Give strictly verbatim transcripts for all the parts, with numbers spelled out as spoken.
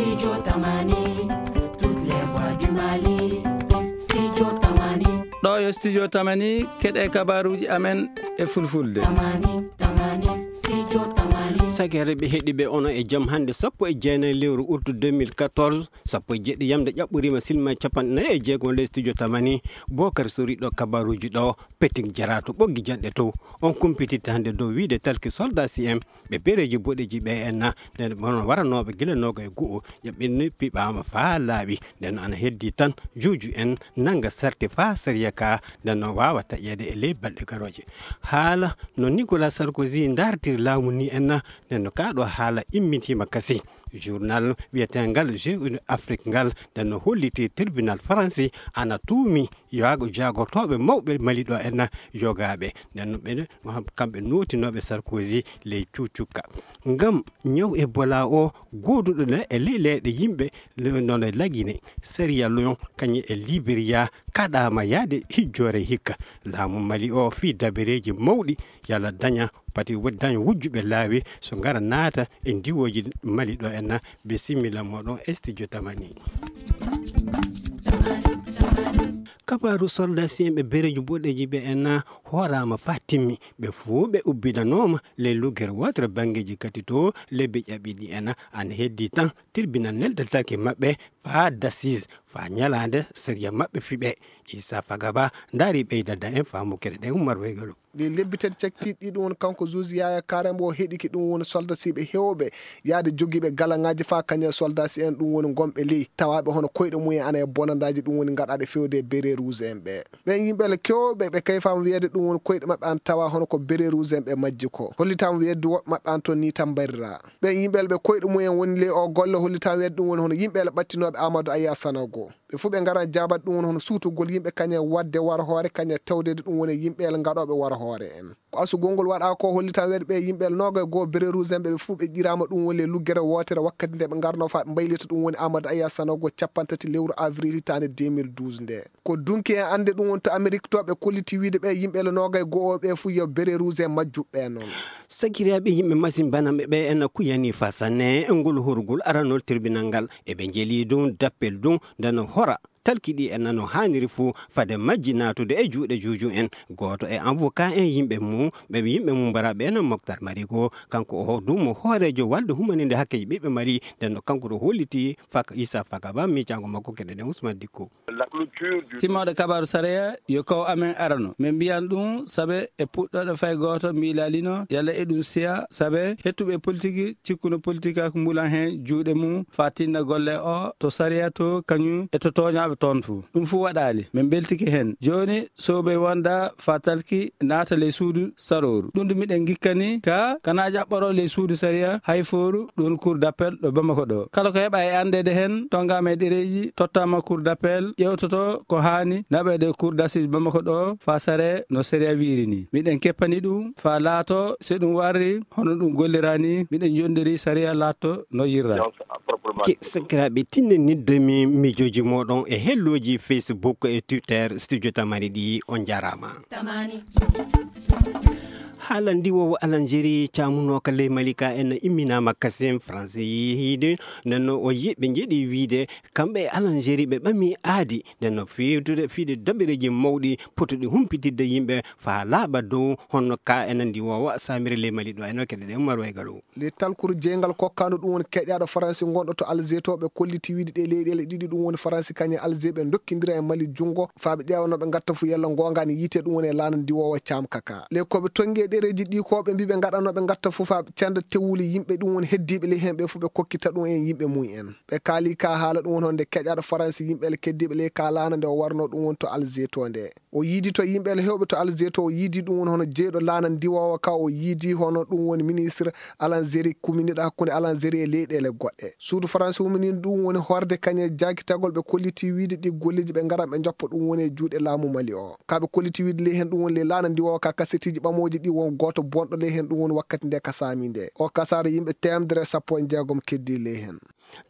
Studio Tamani, toutes les voix du Mali. Studio Tamani. Ɗo yo Studio Tamani, keɗe kabaruuji amen e fulfulde. Tamani, Tamani, Studio Tamani. Sakiraaɓe heɗiiɓe, onon e jam hannde, sappo e jeenayi lewru août deux mille quatorze, sappo e jeeɗiɗi yamde ƴaɓɓoriima, silma capanɗe nayi e jeego ley Studio Tamani. Bokar Sori ɗo kabaruuji ɗo, Peting Jara to Ɓoggi Janɗe to. On kumpititta hannde dow wiide talki soldat C M ɓe bereeji boɗeeji ɓe en na, nden bono waranooɓe gila nooga e gu'o, ƴaɓɓinni piɓaama faa laaɓi. Nden ana heddi tan juuju en nannga sarti faa sariya ka, nden no waawa taƴeede e ley balɗe garooje. Haala no Nicolas Sarkozy ndaartiri laamu ni en na, nden no kaa ɗo haala immitiima kasi. Journal wiyeteengal Jeune Afrique ngal, nden no holliti tribunal Faransi ana tuumi yaago jaagortooɓe mawɓe Mali ɗo en na yogaaɓe. Nden no ɓe, kamɓe nootinooɓe Sarkozy ley cuucukka. Ngam ñaw Ebola o gooduɗo le e ley leyɗe yimɓe le-, nono e Lagine, Sierra Leone, kañum e Liberia, kaɗaama yaade hijjoore hikka. Laamu Mali o fii dabereeji mawɗi yalla daña pati wo-, daña wujjuɓe laawi so ngara naata e ndiwooji Mali ɗo en na. Bisimilla mooɗon e Studio Tamani. Kabaaru soldat C M ɓe bereeji boɗeeji ɓe en na hooraama faa timmi. Ɓe fuu ɓe ubbinanooma ley luggere wootere banngeeji kadi to lebbi ƴaɓɓiiɗi en na. Ana heddi tan tribunal neldatake maɓɓe faa d'assises, faa ñalaande sariya maɓɓe fiɓe. Issa Fagaba ndaari ɓeydada en faamu keɗe ɗen Umar Weygalo. Ɗi lebbi tati cakkiiɗi ɗum woni kanko Zuzi Yaya Kare mbo heɗiki ɗum woni soldasiiɓe heewɓe yaade jogiiɓe galaŋaaji faa kañe soldasi en ɗum woni gonɓe ley tawaaɓe hono koyɗe mumen ana e bonandaaji ɗum woni ngaɗaaɗe fewde e bérets rouges en ɓe. Ɓen yimɓe le kewɓe ɓe kayfaama wiyeede ɗum woni koyɗe maɓɓe an tawa hono ko bérets rouges en ɓe majji ko. Hollitaama wiyeede woɓɓe maɓɓe an toon ni tan mbarira. Ɓen yimɓe le ɓe koyɗe mumen woni ley o golle hollitaama wiyeede ɗum woni hono yimɓe le ɓattinooɓe Amadou Aya Sanogo. Ɓe fuu ɓe ngaran jaabat ɗum woni hono suutugol yimɓe kañe waɗde war hoore kañe tewdeede ɗum woni yimɓe le ngaɗooɓe war hoore en. Ko asugol ngol waɗaa ko hollitaama wiyeede ɓe yimɓe le noogay goo bérets rouges en ɓe, ɓe fuu ɓe ƴiraama ɗum woni le luggere wootere wakkati nde ɓe ngarnoo faa ɓe mbaylita ɗum woni Amadou Aya Sanogo cappanɗe tati lewru avril hitaande deux mille douze nde. Ko dunki en annde ɗum woni to Amerik to ɓe kolliti wiide ɓe yimɓe le noogay go'o ɓe fuu yo bérets rouges en majjuɓe noon. Sakiraaɓe yimɓe masin banamɓe ɓe en kuyani faa sanne e ngol horugol aranol tribunal ngal. Eɓe njeli ɗum dappel ɗum nde no hora talki ɗi en no haaniri fuu fade majji naatude e juuɗe juuju en. Gooto e avocat en yimɓe mum, ɓe yimɓe mum mbaraaɓe en Moctar Marigo, kanko o duumo hooreejo walde humaninde hakkeeji ɓiɓɓe Mali, nden no kanko ɗo holliti fak Issa Fagaba miijaango makko keɗe ɗen Ousmane Dicko. Timmooɗe kabaaru sareya yo kaw amen arano. Min mbiyan ɗum sabe e puɗɗooɗo fay gooto miilaalino yalla eɗum siya sabe hettuɓe politiki cikkuno politika ko mbulan heen juuɗe mum faa tinna golle o to sariya to kañum e to tooñaaɓe toon fuu. Ɗum fuu waɗaali. Min mbeltike heen. Jooni soobey wonda faa talki naata ley suudu sarooru. Ɗum ɗum miɗen ngikkani ka kana ƴaɓɓoroo ley suudu sariya hay fooru ɗum cour d'appel ɗo Bamako ɗo. Kala ko heɓa e anndeede heen, tonngaama e ɗereeji, tottaama cour d'appel, ƴeewtoto ko haani naɓeede cour d'assises Bamako ɗo, faa saree no sariya wiiri ni. Miɗen keppani ɗum, faa laato, so ɗum warri, hono ɗum gollira ni, miɗen njonndiri sariya laatto no yirra. Ke-, sakiraaɓe, tinnen niddomi miijooji mooɗon e hellooji Facebook e Twitter Studio Tamari ɗi. On njaaraama. Haala ndiwoowo Alanjeri caamunooka ley Malika en imminaama kasen France yiide, nden no o yi-, ɓe njeɗi wiide kamɓe e Alanjeri ɓe ɓami aadi, nden no fiidude, fiide daɓɓereeji mawɗi potuɗi humpitidde yimɓe faa laaɓa dow honno ka en ndiwoowo Samiri ley Mali ɗo en no keɗe ɗe Umar Waygalo. Ley talkuru jeyngal kokkaandu ɗum woni keƴaaɗo Faransi gonɗo to Alger to, ɓe kolliti wiide ɗe leyɗeele ɗiɗi ɗum woni Faransi kañum e Alger ɓe ndokkindira e Mali junngo faa ɓe ƴeewa no ɓe ngatta fuu yalla ngoonga ne yiite ɗum woni e laana ndiwoowa Caam Kaka. Ley ko ɓe tonngi e ɗereeji ɗi ko ɓe mbii ɓe ngaɗa no ɓe ngatta fuu faa ɓe cenda tewuli yimɓe ɗum woni heddiiɓe ley heen ɓe fuu ɓe kokkita ɗum en yimɓe mum en. Ɓe kaali ka haala ɗum woni honde keƴaaɗo Faransi yimɓe le keddiiɓe ley ka laana nde o warno ɗum woni to Alger to nde. O yiidi to yimɓe le heewɓe to Alger to, o yiidi ɗum woni hono jeyɗo laana ndiwoowa ka, o yiidi hono ɗum woni ministre Alanjeri kuminiɗo hakkunde Alanjeri e leyɗeele goɗɗe. Suudu Faransi huminii ɗum woni horde kañe jaakitagol ɓe kolliti wiide ɗi golleeji ɓe ngaran ɓe njoppa ɗum woni e juuɗe laamu Mali o. Ka ɓe kolliti wiide ley heen ɗum woni ley laana ndiwoowa ka kasetiiji ɓamooji ɗi won gooto bonɗo ley heen ɗum woni wakkati nde ka saami nde. O kasaara yimɓe teemedere e sappo e jeegom keddii ley heen.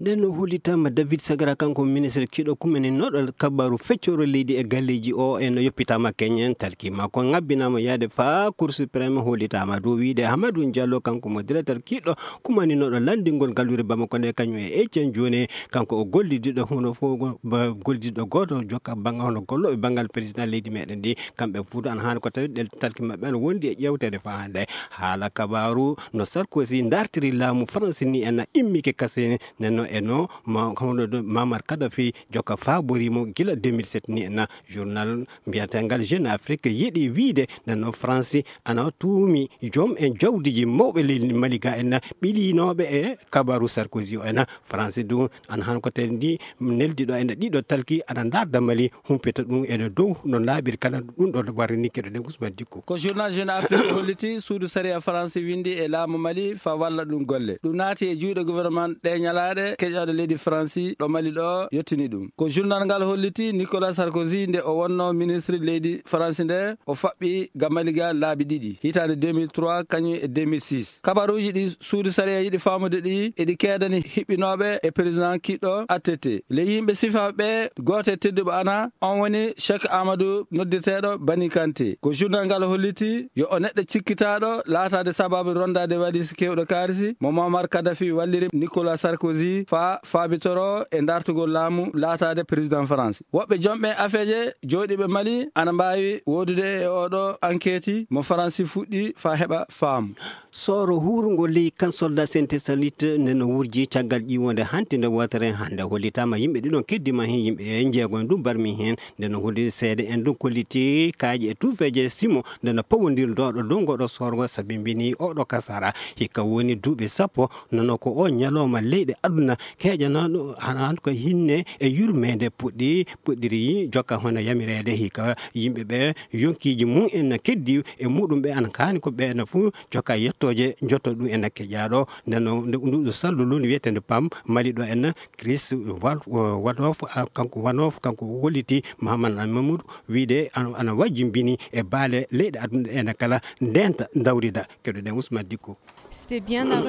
Nden no hollitaama David Sagara, kanko ministre kiiɗo kumaninooɗo kabaru feccoro leydi e galleeji o, en no yoppitaama keñen, talki makko ngabbinaama yaade faa Cour suprême, hollitaama dow wiide Amadou Diallo, kanko mo directeur kiiɗo kumaninooɗo lanndingol galluure Bamako nde, kañum e Etienne Dione, kanko o gollidiɗo hono fof ba-, gollidiɗo gooto jokka banngal hono gollooɓe banngal président leydi meɗen ndi, kamɓe fof ana haani ko tawi ɗen talki maɓɓe ana wondi e ƴeewtere faa hannde. Haala kabaru no Sarkozy dartiri laamu France ni en immike kasini nenno e no ma-, hono ɗo Muammar Kadhafi jokka faabori mo gila deux mille sept ni en. Journal mbiyatengal Jeune Afrique yiɗi wiide nenno France ana tuumi joom en jawdiji mawɓe leydi Mali ga en ɓilinooɓe e kabaru Sarkozy o en. France du ana han ko tendi neldi ɗo en ɗiɗo talki ana darda Mali humpita ɗum ene dow no laaɓiri kala ɗum ɗo warrini keɗoɗen Ousmane Dicko. Ko journal Jeune Afrique holliti suudu sariya France windi e laamu Mali fa walla ɗum golle. Ɗum naati e juuɗe gouvernement ɗe ñalaaɗe keƴaaɗo leydi France ɗo Mali ɗo yettini ɗum. Ko journal ngal holliti Nicolas Sarkozy nde o wonno ministre leydi France nde o faɓɓi ga Mali ga laabi ɗiɗi, hitaande deux mille trois kañum e deux mille six. Kabaruuji ɗi suudu sariya yiɗi faamude ɗi eɗi keedani hiɓɓinooɓe e président kiɗɗo attete. Ley yimɓe sifaaɓe ɓe, gooto e tedduɓe ana, on woni Cheikh Amadou noddirteeɗo Bani Kanté. Ko journal ngal holliti yo o neɗɗo cikkitaaɗo laataade sababu rondaade walisi keewɗo kaalisi mo Muammar Kadhafi walliri Nicolas Sarkozy faa faabitoro e dartugol laamu laataade président France. Woɓɓe jomɓe afeeje jooɗiiɓe Mali ana mbaawi woodude e oɗo enquête mo Faransi fuɗɗi faa heɓa faamu. Sooro huurungo ley kan soldat Sainte Salite nde no wurji caggal ƴiwonde hantinde wootere hannde hollitaama yimɓe ɗiɗon keddima heen yimɓe jeego en ɗum barmi heen nde no holli seede en ɗum kolliti kaaƴe e tuufeeje simo nde no pawondirɗo ɗo ngoɗo soorgo sabimbini oɗo kasara hikka woni duuɓi sappo nono ko o ñalawma leyɗe aduna keeƴanaaɗo hana ko hinne e yurmeende puɗɗi puɗɗiri jokka hono yamireede hikka yimɓe ɓe yonkiiji mum en no keddi e muɗum ɓe ana kaani ko ɓe no fof jokka yettooje jotto ɗum en no keƴaaɗo nden no nduɗo sallu lundu wiyeteende pam mali ɗo en Chris Wal- Wadof ah, kanko Wanof kanko holliti Mahaman Mamoudou wiide ana ana wajjimbini e baale leyɗe aduna ene kala ndenta dawrida keɗoɗen Ousmane Dicko.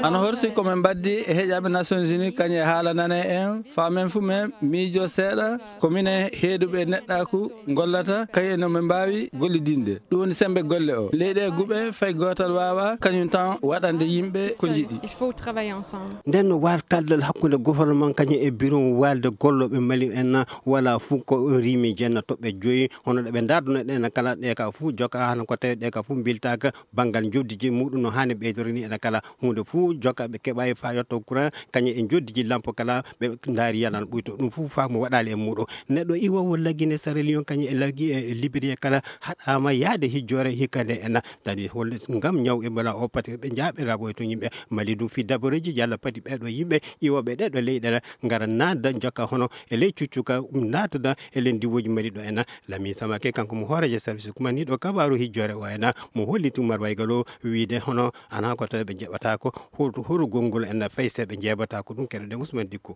Ana horsi ko min mbaddi e heƴaaɓe Nations Unies kañum e haala nane en faa men fuu men miijo seeɗa ko minen heeduɓe neɗɗaaku ngollata kañum no min mbaawi gollidinde ɗum woni semmbe golle o leyɗe guɓe fay gootal waawa kañum tan waɗande yimɓe ko njiɗi. Nden no waal kaldal hakkunde gouvernement kañum e biron waalde gollooɓe Mali en wala fuu ko rimi jenna toɓɓe joyi hono ɗo ɓe ndaarduno ɗen kala ɗe ka fuu joka hano ko tawi ɗe ka fuu mbiltaaka banngal njoddiji muɗum no haani ɓeydoro ni ene kala huunde fuu joka ɓe keɓayi fa yetto courant kañum e njoddiji lampo kala ɓe ndaari yalan ɓuyto ɗum fuu faa mo waɗaali e muɗum neɗɗo iwowo laggine Sierra Leone kañum e laggi e Liberia kala haɗaama yaade hijjoore hikka nde ena tadi holde ngam ñaw Ebola o pati ɓe njaaɓe raɓoy to yimɓe Mali ɗum fi dabareeji yalla pati ɓeɗo yimɓe iwoɓe ɗeɗo leyɗe ngara naatda jokka hono e ley cuccuka naatda e len diwooji Mali ɗo ena Lami Samake kanko mo hooreejo service kumaniiɗo kabaaru hijjoore o ena mo holliti Umar Waygalo wiide hono ana ko tawi ɓe njeɓataako hoto horo gonngol ena fay se ɓe njeeɓataako ɗum keɗoɗen Ousmane Dicko.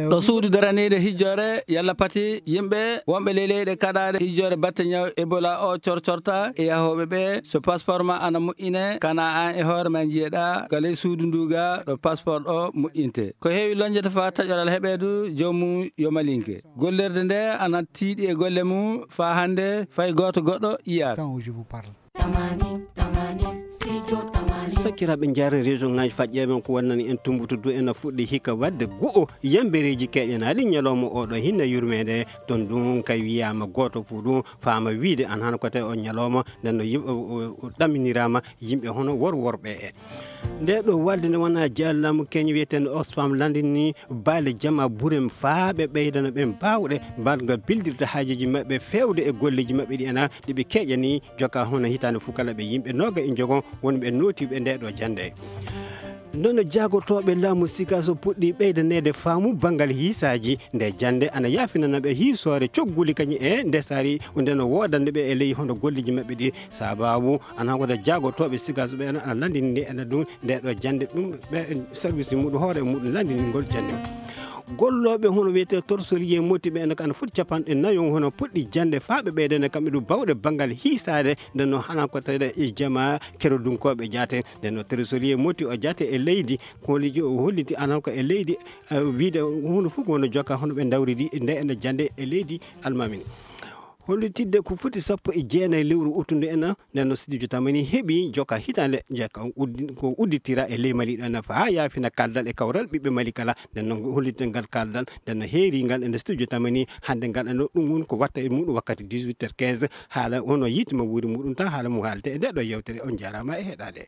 Ɗo suudu daraniiɗo hijjoore yalla pati yimɓe wonɓe ley leyɗe kaɗaaɗe hijjoore batte ñaw Ebola o corcorta e yahooɓe ɓe so passeport ma ana moƴƴine kana an e hoore ma njiyeɗa ka ley suudu ndu ga ɗo passeport o moƴƴinte ko heewi lonjata fa taƴoral heɓeedu joomum yo malinke gollirde nde ana tiiɗi e golle mum faa hannde fay gooto goɗɗo yiyaaka. Sakiraaɓe njaare région ngaji faƴƴeeɓe ko wonnani en tumbutudu ena fuɗɗi hikka waɗde go'o yambereeji keƴanaali ñalawma oɗo hinna yurmeende toon ɗum kay wiyaama gooto fof ɗum faama wiide an hano ko tawi on ñalawma nden no yim- o- o- o ɗaminiraama yimɓe hono wor worɓe e nde ɗo walde nde wona jallaamu keñe wiyeteende Oxfam landini baale jama burem faa ɓe ɓeydana ɓen baawɗe mbaɗga bildirde haajeeji maɓɓe feewde e golleeji maɓɓe ɗi ena ɗi ɓe keƴani joka hono hitaande fof kala ɓe yimɓe nooga e njogon wonɓe nootiiɓe nde ɗo jannde. Nono jaagotooɓe laamu Sikaso puɗɗi ɓeydaneede faamu banngal hiisaaji nde jannde ana yaafinana ɓe hiisoore cogguli kañum e ndesaari nde no woodande ɓe e ley hono golleeji maɓɓe ɗi sababu ana wooda jaagotooɓe Sikaso ɓe ana landini nde ena ɗum nde ɗo jannde ɗum ɓe service muɗum hoore muɗum landini ngol jannde. Gollooɓe hono wiyetee torsoriye moti ɓe ene ko ana foti capanɗe nayo hono puɗɗi jannde faa ɓe ɓeydana kamɓe ɗum bawɗe banngal hiisaade. Nden noon hana ko tawde e jama kerodunkooɓe jaate. Nden noon torsoriye moti o jaate e leydi, ko holiji o holliti ana ko e leydi, eh, wiide huunde fof ko wona jokka hono ɓe ndawridi nde ene jannde e leydi almamini. Hollitidde ko foti sappo e jeenayi lewru uttundu en, nden no Sidijo Tamani heɓi joka hitaande, joka uddi-, ko udditira e ley Mali ɗo nafa haa yaafina kaldal e kawral ɓiɓɓe Mali kala. Nden noon hollitde ngal kaldal, nden no heeri ngal e nde Sidijo Tamani hannde ngal, eno ɗum woni ko watta e muɗum wakkati dix-huit heures quinze, haala ono yiitima wuuri muɗum tan haala mum haalte e nde ɗo yewtere. On njaaraama e heɗaade.